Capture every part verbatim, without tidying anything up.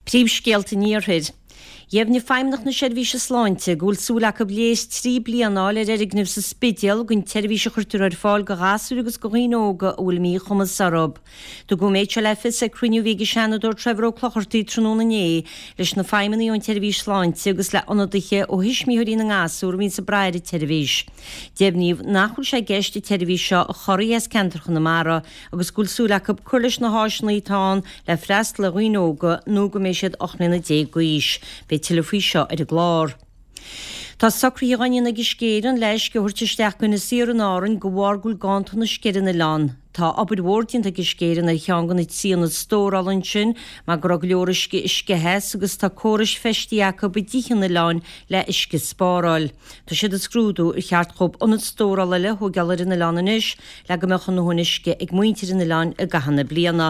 Príomhscéalta an Iarthair. Dheimhnigh Feidhmeannacht na Seirbhíse Sláinte go bhfuil súil acu léas trí bliana a fháil ar fhoirgneamh sa Spidéal don tseirbhís a chuirtear ar fáil do ghasúir agus do dhaoine óga a bhfuil míchumas orthu. Tugadh an méid seo le fios ag cruinniú a bhí ag an Seanadóir Trevor Ó Clochartaigh tráthnóna inné leis na feidhmeannaigh ón tseirbhís sláinte agus le ionadaithe ó thuismitheoirí na ngasúr a bhíonn ag brath ar an tseirbhís. Deimhníodh nach bhfuil sé i gceist an tseirbhís seo a chorraí as ceantar Chonamara agus go bhfuil súil acu cur leis na háiseanna atá ann le freastal ar dhaoine óga nó go mbeidh siad ocht mbliana déag d'aois. Beidh tuilleadh faoi seo ar an gclár. Tá socruithe á ndéanamh ag Uisce Éireann le uisce a thabhairt isteach go Inis Oírr in Árainn de bharr go bhfuil ganntan uisce ar an oileán. Tá obair mhór déanta ag Uisce Éireann ar cheann de na trí ionad stórála ansin mar go raibh go leor uisce ag sceith as agus tá córais feistithe acu i dtithe an oileáin le uisce a spáráil. Tá siad ag scrúdú ar cheart dhóibh ionad stórála eile a thógáil ar an oileán anois le go mbeadh a ndóthain uisce ag muintir an oileáin i gcaitheamh na bliana.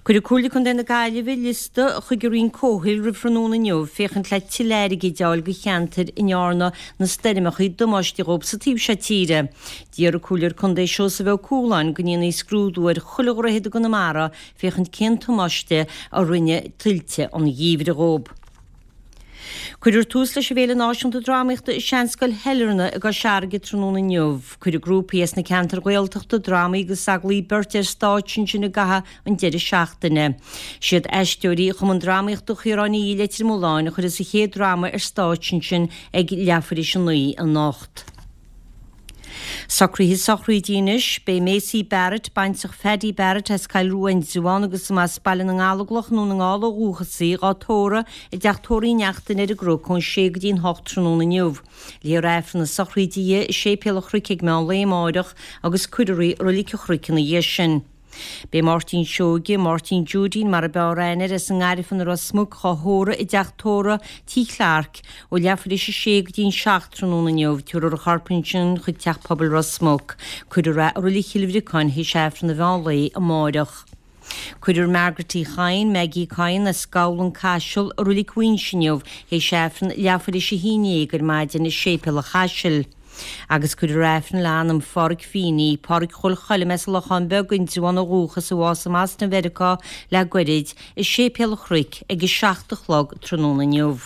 Cuirfidh Comhairle Contae na Gaillimhe liosta chuig an Roinn Comhshaoil roimh thráthnóna inniu féachaint le tuilleadh airgid a fháil do cheantair a ndearna na stoirmeacha damáiste dhóibh sa taobh seo tíre. D'iarr an Comhairleoir Contae Seosamh Ó Cualáin go ndéanfaí scrúdú ar chuile dhroichead i gConamara féachaint cén damáiste a rinne tuilte an gheimhridh dhóibh. Cuirfear tús leis an bhFéile Náisiúnta Drámaíochta i Seanscoil Shailearna i gCois Fharraige tráthnóna inniu. Cuirfidh grúpaí as na ceantair Ghaeltachta drámaí agus agallaimh beirte ar stáitse ansin i gcaitheamh an deireadh seachtaine. Siad aisteoirí Chumann Drámaíochta Chiaráin Uí Leitir Mealláin a chuirfeas an chéad dráma ar stáitse ansin ag leathuair théis a naoi anocht. Socruithe sochraide anois. Beidh Maisie Barrett, baintreach Phaddy Barrett as Cill Rua Indreabhán agus as Baile na nGallóglach i nDún na nGall ó dhúchas í, dhá tórramh i dteach tórraimh Uí Neachtain ar an gCnoc ón sé go dtí'n hocht tráthnóna inniu. Léifear Aifreann na sochraide di i Séipéal an Chnoic ag meán lae amáireach agus cuirfear í i Roilig an Chnoic ina dhiaidh sin. Beidh Máirtín Seoige, Máirtín Judeen mar a b'fhearr aithne air, as an nGairfean i Ros Muc dhá thórramh i dteach tórraimh Tí Clarke ó leathuair théis a sé go dtí'n seacht tráthnóna inniu. Tabharfar a chorp ansin chuig Teach Pobail Ros Muc. Cuirfear é i Roilig Chill Bhriocáin théis Aifreann an mheán lae amáireach. Cuirfear Margaret Uí Chadhain, Maggie Coyne, as Gabhla, An Caiseal, i Roilig Mhuinseo inniu théis Aifreann leathuair théis a haon déag ar maidin i Séipéal an Chaisil. Agus cuirfear Aifreann le anam Pháraic Feeney, Páraic Chóil Choilm as an Lochán Beag, Indreabhán ó dhúchas, a bhásaigh i mBoston Mheiriceá le goirid, i Séipéal an Chnoic ag a seacht a chlog tráthnóna inniu.